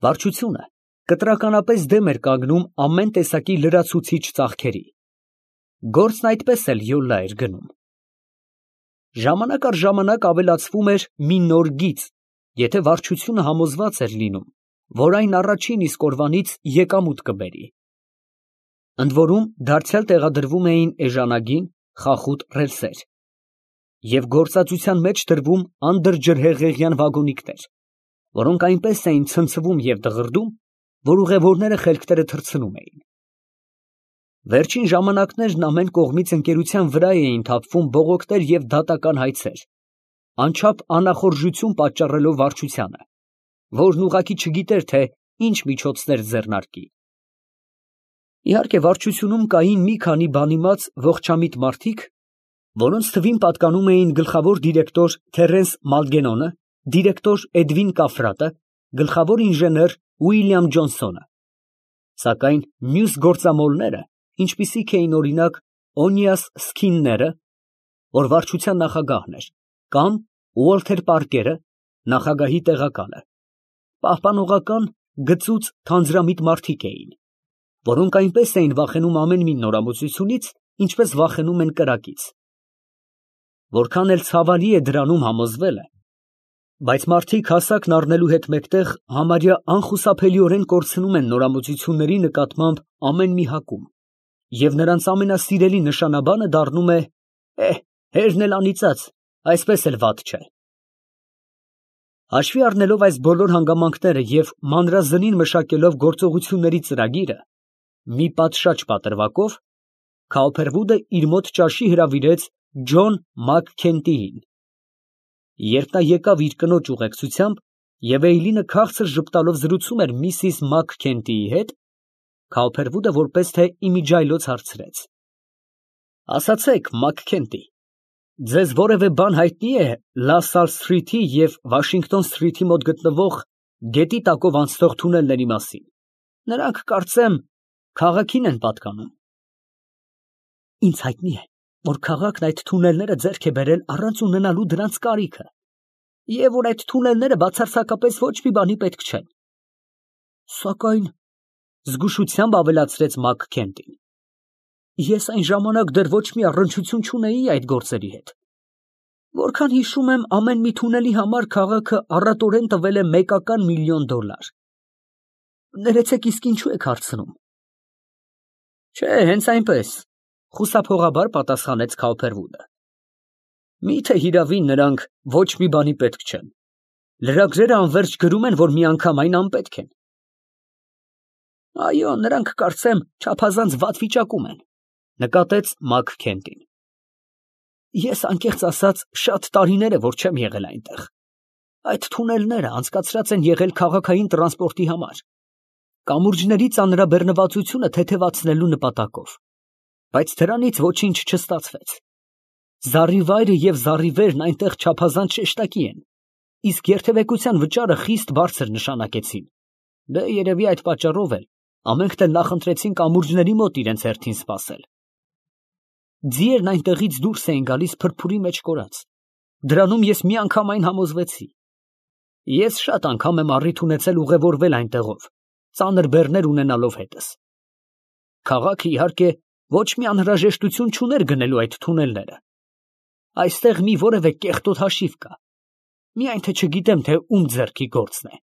Վարչությունը կտրականապես դեմ էր կանգնում ամեն տեսակի լրացուցիչ ծախքերի։ Գործն այդպես էլ յոլա էր գնում։ Ժամանակ առ ժամանակ ավելացվում էր մի նոր գիծ, եթե վարչությունը համոզված էր լինում, որ այն առաջին իսկ օրվանից եկամուտ կբերի։ Ընդ որում դարձյալ տեղադրվում էին էժանագին, խախուտ ռելսեր և գործածության մեջ դրվում անդրջրհեղեղյան վագոնիկներ, որոնք այնպես էին ցնցվում և դղրդում, որ ուղևորները խելքները թռցնում էին։ Վերջին ժամանակներն ամեն կողմից ընկերության վրա էին թափվում բողոքներ և դատական հայցեր, անչափ անախորժություն պատճառելով վարչությանը, որն ուղղակի չգիտեր, թե ինչ միջոցներ ձեռնարկի։ Իհարկե, վարչությունում կային մի քանի բանիմաց ողջամիտ մարդիկ, որոնց թվին պատկանում էին գլխավոր դիրեկտոր Թերենս Մալգենոնը, դիրեկտոր Էդվին Կաֆրատը, գլխավոր ինժեներ Ուիլյամ Ջոնսոնը, սակայն մյուս գործամոլները, ինչպիսիք էին օրինակ Օնիաս Սքինները, որ վարչության նախագահն էր, կամ Ուոլթեր Պարկերը, նախագահի տեղակալը, պահպանողական, գծուծ, թանձրամիտ մարդիկ էին, որոնք այնպես էին վախենում ամեն մի նորամուծությունից, ինչպես վախենում են կրակից։ Որքան էլ ցավալի է դրանում համոզվելը, բայց մարդիկ հասակն առնելու հետ մեկտեղ համարյա անխուսափելիորեն կորցնում են նորամուծությունների նկատմամբ ամեն մի հակում, և նրանց ամենասիրելի նշանաբանը դառնում է հերն էլ անիծած, այսպես էլ վատ չէ։ Հաշվի առնելով այս բոլոր հանգամանքները և մանրազնին մշակելով գործողությունների ծրագիրը, մի պատշաճ պատրվակով Քաուփերվուդը իր մոտ ճաշի հրավիրեց Ջոն Մաքքենթիին։ Երբ նա եկավ իր կնոջ ուղեկցությամբ և Էյլինը քաղցր ժպտալով զրուցում էր միսիս Մաքքենթիի հետ, Քաուփերվուդը որպես թե իմիջիայլոց հարցրեց. ասացեք, Մաքքենթի, ձեզ որևէ բան հայտնի է Լա Սալ Սթրիթի և Վաշինգտոն Սթրիթի մոտ գտնվող գետի տակով անցնող թունելների մասին. նրանք, կարծեմ, քաղաքին են պատկանում։ Ինձ հայտնի է, որ քաղաքն այդ թունելները ձեռք է բերել առանց ունենալու դրանց կարիքը, և որ այդ թունելները բացարձակապես ոչ մի բանի պետք չեն։ Սակայն, զգուշությամբ ավելացրեց Մաքքենթին, ես այն ժամանակ դեռ ոչ մի առնչություն չունեի այդ գործերի հետ։ Որքան հիշում եմ, ամեն մի թունելի համար քաղաքը առատորեն տվել է $1 միլիոն։ Ներեցեք, իսկ ինչու եք հարցնում։ Չէ, հենց այնպես, խուսափողաբար պատասխանեց Քաուփերվուդը։ Միթե հիրավի նրանք ոչ մի բանի պետք չեն։ Լրագրերը անվերջ գրում են, որ մի անգամ այն անպետք են։ Այո, նրանք, կարծեմ, չափազանց վատ վիճակում են, նկատեց Մաքքենթին։ Ես անկեղծ ասած շատ տարիներ է, որ չեմ եղել այնտեղ։ Այդ թունելները անցկացրած են եղել քաղաքային տրանսպորտի համար, կամուրջների ծանրաբեռնվածությունը թեթևացնելու նպատակով, բայց դրանից ոչինչ չստացվեց։ Զառիվայրը և զառիվերն այնտեղ չափազանց շեշտակի են, իսկ երթևեկության վճարը խիստ բարձր նշանակեցին։ Դե երևի այդ պատճառով էլ ամենքն էլ նախընտրեցին կամուրջների մոտ իրենց հերթին սպասել։ Ձիերն այնտեղից դուրս էին գալիս փրփուրի մեջ կորած։ Դրանում ես միանգամայն համոզվեցի։ Ես շատ անգամ եմ առիթ ունեցել ուղևորվել այնտեղով, ծանր բեռներ ունենալով հետս։ Քաղաքը, իհարկե, ոչ մի անհրաժեշտություն չուներ գնելու այդ թունելները։ Այստեղ մի որևէ կեղտոտ հաշիվ կա։ Միայն թե չգիտեմ, թե ում ձեռքի գործն է։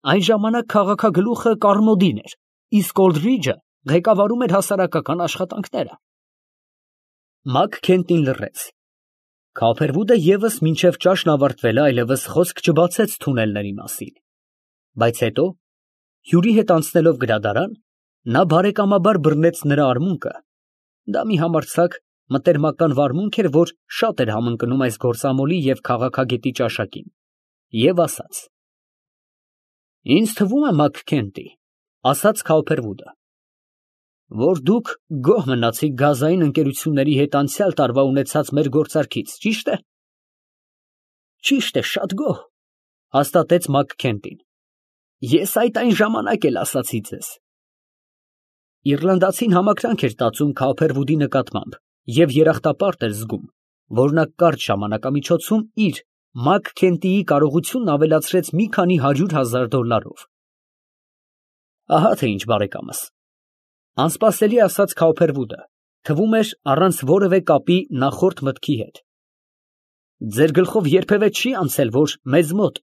Այն ժամանակ քաղաքագլուխը Կարմոդին էր, իսկ Օլդրիջը ղեկավարում էր հասարակական աշխատանքները։ Մաքքենթին լռեց։ Քաուփերվուդը ևս մինչև ճաշն ավարտվելը այլևս խոսք չբացեց թունելների մասին։ Բայց հետո, հյուրի հետ անցնելով գրադարան, նա բարեկամաբար բռնեց նրա արմունկը, դա մի համարձակ մտերմական վարմունք էր, որ շատ էր համընկնում այս գործամոլի և քաղաքագետի ճաշակին, և ասաց. Ինձ թվում է, Մաքքենթի, ասաց Քաուփերվուդը, որ դուք գոհ մնացիք գազային ընկերությունների հետ անցյալ տարվա ունեցած մեր գործարքից, ճի՞շտ է։ Ճիշտ է, շատ գոհ, հաստատեց Մաքքենթին։ Ես այդ այն ժամանակ էլ ասացի ձեզ։ Իռլանդացին համակրանք էր տածում Քաուփերվուդի նկատմամբ և երախտապարտ էր զգում, որ նա կարճ ժամանակամիջոցում իր Մակ Քենտիի կարողությունն ավելացրեց մի քանի $100,000։ Ահա թե ինչ, բարեկամս, անսպասելի ասաց Քաուփերվուդը, թվում էր առանց որևէ կապի նախորդ մտքի հետ։ Ձեր գլխով երբևէ չի անցել, որ մեզ մոտ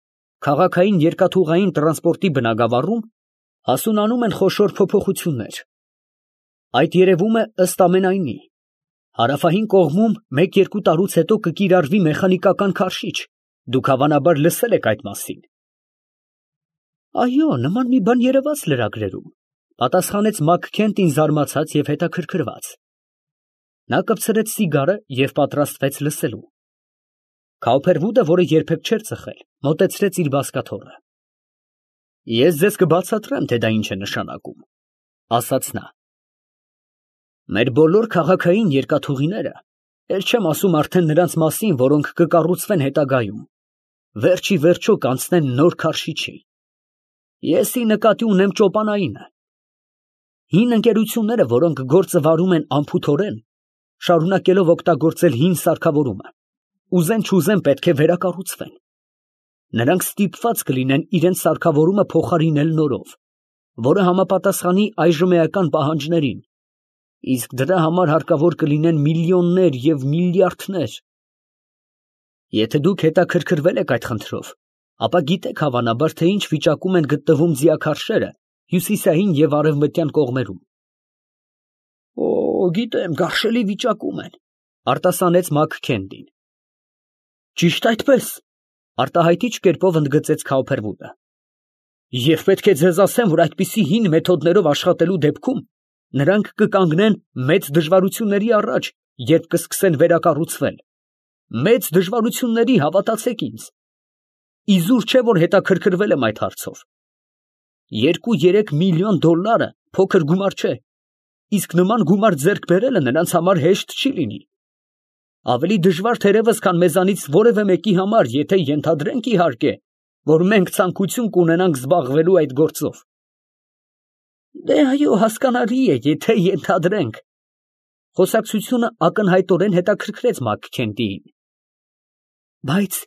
քաղաքային երկաթուղային տրանսպորտի բնագավառում հասունանում են խոշոր փոփոխություններ։ Այդ երևում է ըստ ամենայնի։ Հարավային կողմում 1-2 տարուց հետո կկիրառվի մեխանիկական քարշիչ, դուք հավանաբար լսել եք այդ մասին։ Այո, նման մի բան երևաց լրագրերում, պատասխանեց Մակ Քենտին զարմացած և հետաքրքրված։ Նա կպցրեց սիգարը և պատրաստվեց լսելու։ Քաուփերվուդը, որը երբեք չէր ծխել, մոտեցրեց իր բազկաթոռը։ Ես ձեզ կբացատրեմ, թե դա ինչ է նշանակում, ասաց նա։ Մեր բոլոր քաղաքային երկաթուղիները, էլ չեմ ասում արդեն նրանց մասին, որոնք կկառուցվեն հետագայում, վերջի վերջո կանցնեն նոր քարշիչի։ Ես ի նկատի ունեմ ճոպանայինը։ Հին ընկերությունները, որոնք գործը վարում են անփութորեն, շարունակելով օգտագործել հին սարքավորումը, ուզեն չուզեն պետք է վերակառուցվեն։ Նրանք ստիպված կլինեն իրենց սարքավորումը փոխարինել նորով, որը համապատասխանի այժմեական պահանջներին, իսկ դրա համար հարկավոր կլինեն միլիոններ և միլիարդներ։ Եթե դուք հետաքրքրվել եք այդ խնդրով, ապա գիտեք հավանաբար, թե ինչ վիճակում են գտնվում ձիաքարշերը հյուսիսային և արևմտյան կողմերում։ Օ, գիտեմ, գարշելի վիճակում են, արտասանեց Մակ Քենտին։ Ճիշտ այդպես, արտահայտիչ կերպով ընդգծեց Քաուփերվուդը։ Եվ պետք է ձեզ ասեմ, որ այդպիսի հին մեթոդներով աշխատելու դեպքում նրանք կկանգնեն մեծ դժվարությունների առաջ, երբ կսկսեն վերակառուցվել։ Մեծ դժվարությունների, հավատացեք ինձ։ Իզուր չէ, որ հետաքրքրվել եմ այդ հարցով։ 2-3 միլիոն դոլարը փոքր գումար չէ, իսկ նման գումար ձեռք բերելը նրանց համար հեշտ չի լինի։ Ավելի դժվար թերևս, քան մեզանից որևէ մեկի համար, եթե ենթադրենք իհարկե, որ մենք ցանկություն կունենանք զբաղվելու այդ գործով։ Դե այո, հասկանալի է, եթե ենթադրենք։ Խոսակցությունը ակնհայտորեն հետաքրքրեց Մակ Քենտիին։ Բայց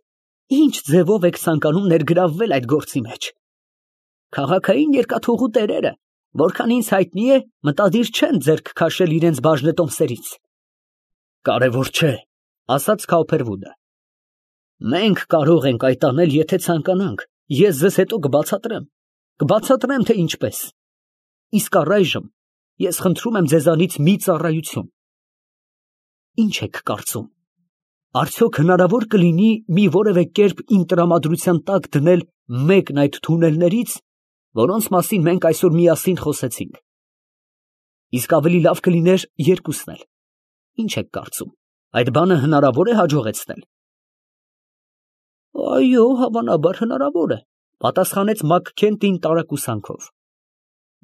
ինչ ձևով եք ցանկանում ներգրավվել այդ գործի մեջ։ Քաղաքային երկաթուղու տերերը, որքան ինձ հայտնի է, մտադիր չեն ձեռք քաշել իրենց բաժնետոմսերից։ Կարևոր չէ, ասաց Քաուփերվուդը։ Մենք կարող ենք այդ անել, եթե ցանկանանք, ես ձեզ հետո կբացատրեմ, թե ինչպես։ Իսկ առայժմ ես խնդրում եմ ձեզանից մի ծառայություն։ Ինչ եք կարծում, արդյոք հնարավոր կլինի մի որևէ կերպ իմ տրամադրության տակ դնել մեկն այդ թունելներից, որոնց մասին մենք այսօր միասին խոսեցինք։ Իսկ ավելի լավ կլիներ երկուսն էլ։ Ինչ եք կարծում, այդ բանը հնարավոր է հաջողեցնել։ Այո, հավանաբար հնարավոր է, պատասխանեց Մակ Քենտին տարակուսանքով։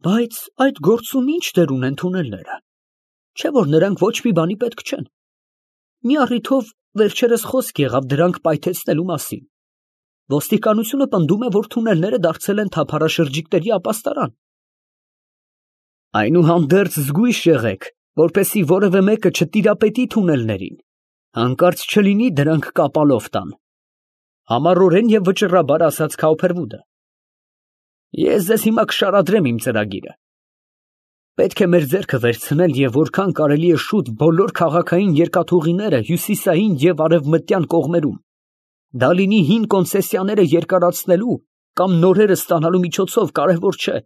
Բայց այդ գործում ինչ դեր ունեն թունելները։ Չէ՞ որ նրանք ոչ մի բանի պետք չեն։ Մի առիթով վերջերս խոսք եղավ դրանք պայթեցնելու մասին։ Ոստիկանությունը պնդում է, որ թունելները դարձել են թափառաշրջիկների ապաստարան։ Այնուհանդերձ զգույշ եղեք, որպեսզի որևէ մեկը չտիրապետի թունելներին, հանկարծ չլինի դրանք կապալով տան։ Համառորեն և վճռաբար ասաց Քաուփերվուդը։ Ես ձեզ հիմա կշարադրեմ իմ ծրագիրը։ Պետք է մեր ձեռքը վերցնել և որքան կարելի է շուտ բոլոր քաղաքային երկաթուղիները հյուսիսային և արևմտյան կողմերում, դա լինի հին կոնցեսիաները երկարացնելու կամ նորերը ստանալու միջոցով, կարևոր չէ։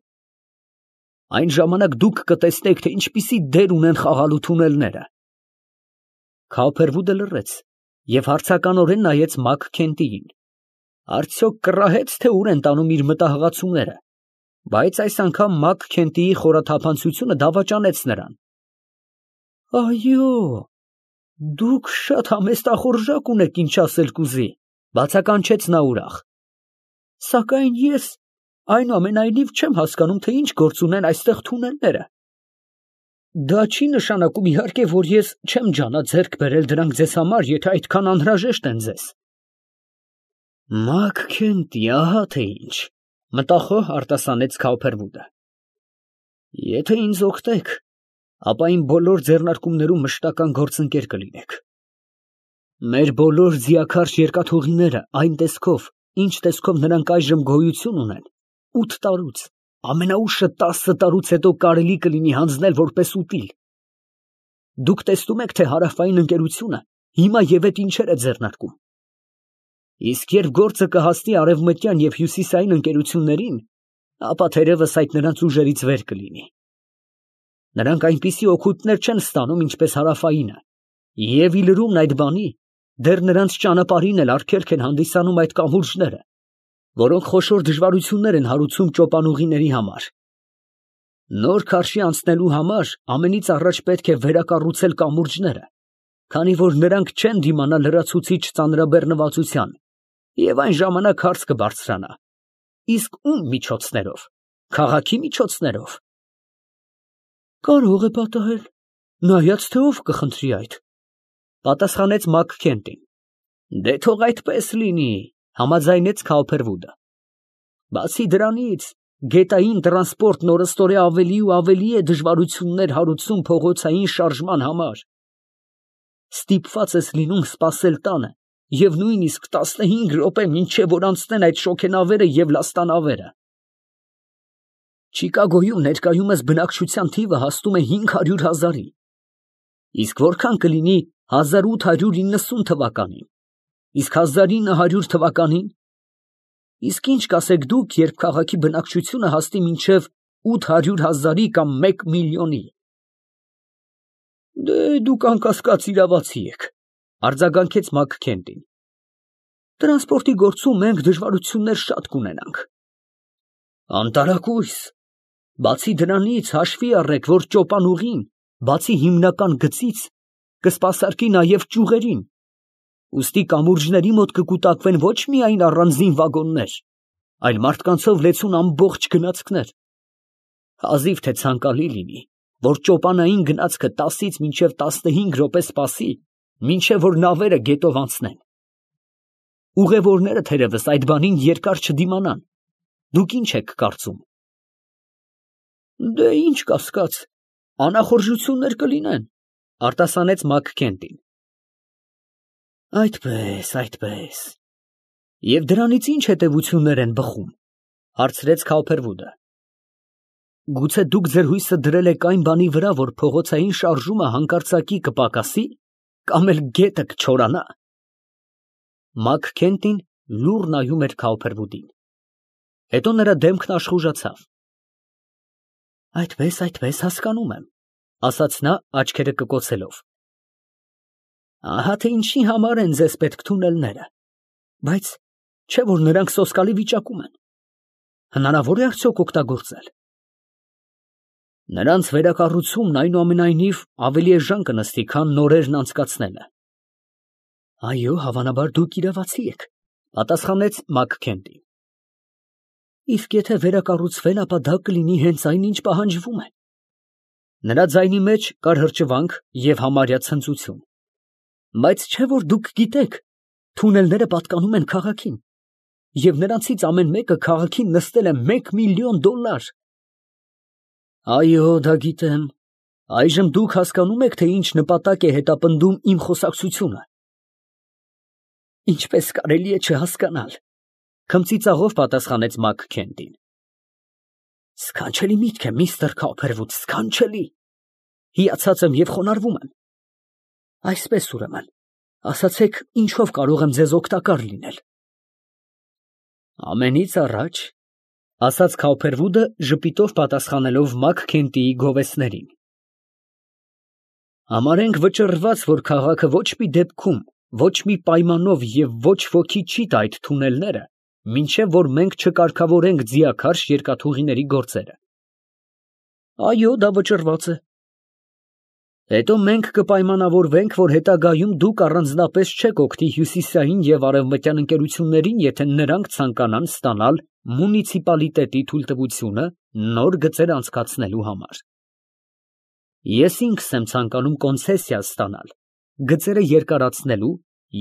Այն ժամանակ դուք կտեսնեք, թե ինչպիսի դեր ունեն խաղալու թունելները։ Քաուփերվուդը լռեց և հարցականորեն նայեց Մակ Քենտիին։ Արդյոք կռահեց, թե ուր են տանում իր մտահղացումները, բայց այս անգամ Մակ Քենտիի խորաթափանցությունը դավաճանեց նրան։ Այո, դուք շատ համեստախորժակ ունեք, ինչ ասել կուզի, բացականչեց նա ուրախ։ Սակայն ես այնուամենայնիվ չեմ հասկանում, թե ինչ գործ ունեն այստեղ թունելները։ Դա չի նշանակում իհարկե, որ ես չեմ ջանա ձեռք բերել դրանք ձեզ համար, եթե այդքան անհրաժեշտ են ձեզ։ Մակ Քենտի, ահա թե ինչ, մտախոհ արտասանեց Քաուփերվուդը։ Եթե ինձ օգնեք, ապա իմ բոլոր ձեռնարկումներում մշտական գործընկեր կլինեք։ Մեր բոլոր ձիաքարշ երկաթուղիները այն տեսքով, ինչ տեսքով նրանք այժմ գոյություն ունեն, 8 տարուց, ամենաուշը 10 տարուց հետո կարելի կլինի հանձնել որպես ուտիլ։ Դուք տեսնում եք, թե հարավային ընկերությունը հիմա եւ այդ ինչեր է ձեռնարկում։ Իսկ երբ գործը կհասնի արևմտյան եւ հյուսիսային ընկերություններին, ապա թերևս այդ նրանց ուժերից վեր կլինի։ Նրանք այնպիսի օգուտներ չեն ստանում, ինչպես հարավայինը, եւ ի լրումն այդ բանի, դեռ նրանց ճանապարհին էլ արգելք են հանդիսանում այդ կամուրջները, որոնք խոշոր դժվարություններ են հարուցում ճոպանուղիների համար։ Նոր քարշի անցնելու համար ամենից առաջ պետք է վերակառուցել կամուրջները, քանի որ նրանք չեն դիմանա լրացուցիչ ծանրաբեռնվածության, եւ այն ժամանակ հարց կբարձրանա. իսկ ում միջոցներով, քաղաքի միջոցներով։ Կարող է պատահել, նայած թե ով կխնդրի այդ, պատասխանեց Մաքքենթին։ Դե թող այդպես լինի, համաձայնեց Քաուփերվուդը։ Բացի դրանից, գետային տրանսպորտն օրըստօրե ավելի ու ավելի է դժվարություններ հարուցում փողոցային շարժման համար։ Ստիպված ես լինում սպասել տանը եւ նույնիսկ 15 րոպե մինչեւ որ անցնեն այդ շոգենավերը եւ լաստանավերը։ Չիկագոյում ներկայումս բնակչության թիվը հասնում է 500,000-ի, իսկ որքան կլինի 1890 թվականին, իսկ 1900 թվականին, իսկ ինչ կասեք դուք, երբ քաղաքի բնակչությունը հասնի մինչև 800,000-ի կամ 1 միլիոնի։ Դե դուք անկասկած իրավացի եք, արձագանքեց Մաքքենթին։ Տրանսպորտի գործում մենք դժվարություններ շատ կունենանք։ Անտարակույս, բացի դրանից հաշվի առեք, որ ճոպանուղին, բացի հիմնական գծից, կսպասարկի նաև ճյուղերին, ուստի կամուրջների մոտ կկուտակվեն ոչ միայն առանձին վագոններ, այլ մարդկանցով լեցուն ամբողջ գնացքներ։ Հազիվ թե ցանկալի լինի, որ ճոպանային գնացքը 10-ից մինչև 15 րոպե սպասի, մինչև որ նավերը գետով անցնեն։ Ուղևորները թերևս այդ բանին երկար չդիմանան։ Դուք ինչ եք կարծում։ Դե ինչ կասկած, անախորժություններ կլինեն, արտասանեց Մաքքենթին։ Այդպես։ Եվ դրանից ինչ հետևություններ են բխում, հարցրեց Քաուփերվուդը։ Գուցե դուք ձեր հույսը դրել եք այն բանի վրա, որ փողոցային շարժումը հանկարծակի կպակասի, կամ էլ գետը կչորանա։ Մաքքենթին լուռ նայում էր Քաուփերվուդին։ Հետո նրա դեմքն աշխուժացավ։ Այդպես, հասկանում եմ, ասաց նա աչքերը կկոցելով։ Ահա թե ինչի համար են ձեզ պետք թունելները, բայց չէ որ նրանք սոսկալի վիճակում են։ Հնարավոր է արդյոք օգտագործել։ Նրանց վերակառուցումն այնուամենայնիվ ավելի էժան կնստի, քան նորերն անցկացնելը։ Այո, հավանաբար դուք իրավացի եք, պատասխանեց Մաքքենթին։ Իսկ եթե վերակառուցվեն, ապա դա կլինի հենց այն, ինչ պահանջվում է։ Նրա ձայնի մեջ կար հրճվանք եւ համարյա ցնծություն։ Բայց չէ որ դուք գիտեք, թունելները պատկանում են քաղաքին, եւ նրանցից ամեն մեկը քաղաքին նստել է $1 միլիոն։ Այո, դա գիտեմ։ Այժմ դուք հասկանում եք, թե ինչ նպատակ է հետապնդում իմ խոսակցությունը։ Ինչպես կարելի է չհասկանալ, քմծիծաղով պատասխանեց Մաքքենթին։ Սքանչելի միտք է, միստր Քաուփերվուդ, սքանչելի։ Հիացած եմ եւ խոնարհվում եմ։ Այսպես ուրեմն, ասացեք, ինչով կարող եմ ձեզ օգտակար լինել։ Ամենից առաջ, ասաց Քաուփերվուդը, ժպիտով պատասխանելով Մաքքենթիի գովեստներին։ Համարենք վճռված, որ քաղաքը ոչ մի դեպքում, ոչ մի պայմանով եւ ոչ ոքի չի տա այդ թունելները, մինչև որ մենք չկարգավորենք ձիաքարշ երկաթուղիների գործերը։ Այո, դա վճռված է։ Հետո մենք կպայմանավորվենք, որ հետագայում դուք առանձնապես չեք օգնի հյուսիսային եւ արևմտյան ընկերություններին, եթե նրանք ցանկանան ստանալ մունիցիպալիտետի թույլտվությունը նոր գծեր անցկացնելու համար։ Ես ինքս եմ ցանկանում կոնցեսիա ստանալ գծերը երկարացնելու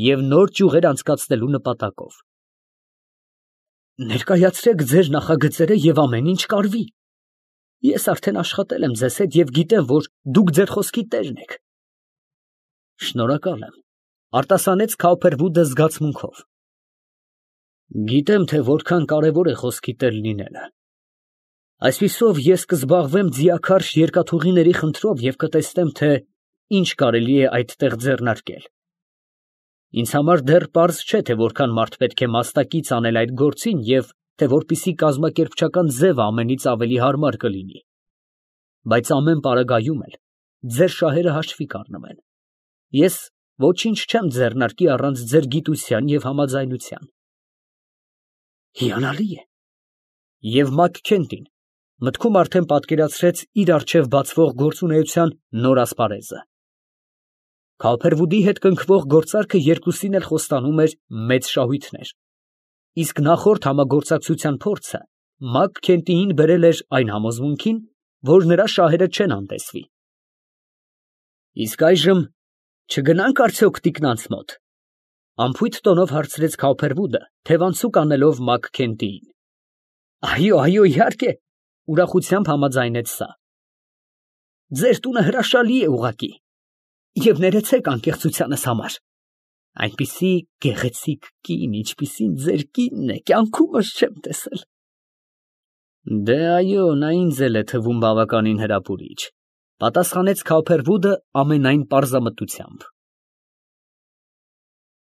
եւ նոր ճյուղեր անցկացնելու նպատակով։ Ներկայացրեք ձեր նախագծերը եւ ամեն ինչ կարվի։ Ես արդեն աշխատել եմ ձեզ հետ եւ գիտեմ, որ դուք ձեր խոսքի տերն եք։ Շնորհակալ եմ, Արտասանեց Քաուփերվուդը զգացմունքով։ Գիտեմ, թե որքան կարևոր է խոսքի տեր լինելը։ Այսպիսով ես կզբաղվեմ ձիաքարշ երկաթուղիների խնդրով և կտեսնեմ, թե ինչ կարելի է այդտեղ ձեռնարկել։ Ինձ համար դեռ պարզ չէ, թե որքան մարդ պետք է մասնակից անել այդ գործին և թե որպեսզի կազմակերպչական ձևը ամենից ավելի հարմար կլինի։ Բայց ամեն պարագայում էլ ձեր շահերը հաշվի կառնվեն։ Ես ոչինչ չեմ ձեռնարկի առանց ձեր գիտության և համաձայնության։ Հիանալի է։ Եվ Մաքքենթին մտքում արդեն պատկերացրեց իր առջև բացվող գործունեության նոր ասպարեզը։ Քաուփերվուդի հետ կնքվող գործարքը երկուսին էլ խոստանում էր մեծ շահույթներ, իսկ նախորդ համագործակցության փորձը Մաքքենթիին բերել էր այն համոզմունքին, որ նրա շահերը չեն անտեսվի։ Իսկ այժմ չգնա՞նք արդյոք տիկնանց մոտ, ֊ անփույթ տոնով հարցրեց Քաուփերվուդը, թևանցուկ անելով Մաքքենթիին։ Այո, իհարկե, ֊ ուրախությամբ համաձայնեց նա։ Ձեր տունը հրաշալի է ուղղակի, և ներեցեք անկեղծությանս համար, այնպիսի գեղեցիկ կին, ինչպիսին ձեր կինն է, կյանքումս չեմ տեսել։ Դե այո, նա ինձ էլ է թվում բավականին հրապուրիչ, ֊ պատասխանեց Քաուփերվուդը ամենայն պարզամտությամբ։